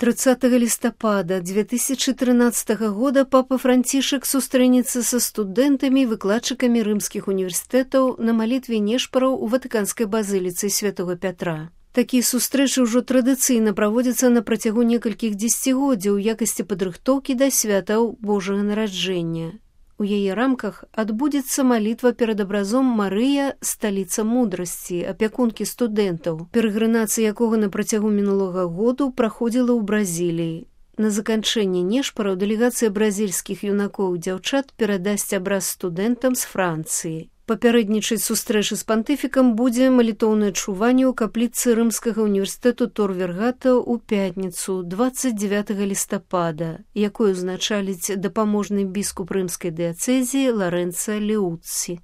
30 лістапада 2013 года папа Францішак сустрэнецца са студэнтамі і выкладчыкамі рымскіх універсітэтаў на малітве нешпараў у Ватыканскай базыліцы Святога Пятра. Такія сустрэчы ўжо традыцыйна праводзяцца на працягу некалькіх дзесяцігоддзяў у якасці падрыхтоўкі да святаў Божага нараджэння. У яе рамках адбудзецца малітва перад абразом Марыя, сталіца мудрасці, апякункі студэнтаў, перагрынацыя якога на працягу мінулага году праходзіла ў Бразіліі. На заканчэнне нешпараў дэлегацыя бразільскіх юнакоў і дзяўчат перадасць абраз студэнтам з Францыі. Папярэднічаць сустрэчы з пантыфікам будзе малітоўнае чуванне ў капліцы рымскага універсітэту Тор Вергата ў пятніцу 29 лістапада, якую узначаліць дапаможны біскуп рымскай дыяцэзіі Ларэнца Леуцці.